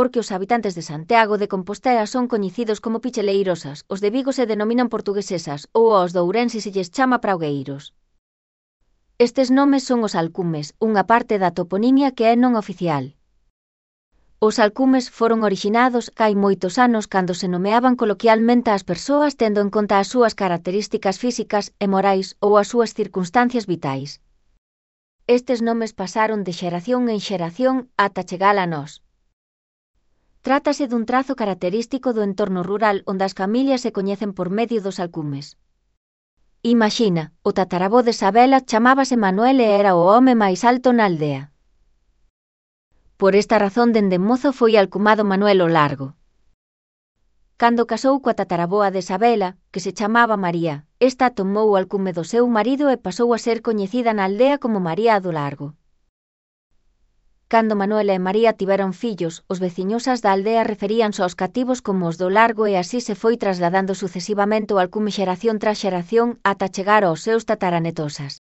porque os habitantes de Santiago de Compostela son coñecidos como picheleirosas, os de Vigo se denominan portuguesesas ou aos de Ourense se lles chama praugueiros. Estes nomes son os alcumes, unha parte da toponimia que é non oficial. Os alcumes foron orixinados hai moitos anos cando se nomeaban coloquialmente ás persoas tendo en conta as súas características físicas e morais ou as súas circunstancias vitais. Estes nomes pasaron de xeración en xeración ata chegar a nós. Trátase dun trazo característico do entorno rural onde as familias se coñecen por medio dos alcumes. Imaxina, o tatarabó de Sabela chamábase Manuel e era o home máis alto na aldea. Por esta razón dende mozo foi alcumado Manuel o Largo. Cando casou coa tataraboa de Sabela, que se chamaba María, esta tomou o alcume do seu marido e pasou a ser coñecida na aldea como María do Largo. Cando Manuel e María tiveron fillos, os veciñosas da aldea referíanse aos cativos como os do Largo e así se foi trasladando sucesivamente o alcume xeración tras xeración ata chegar aos seus tataranetosas.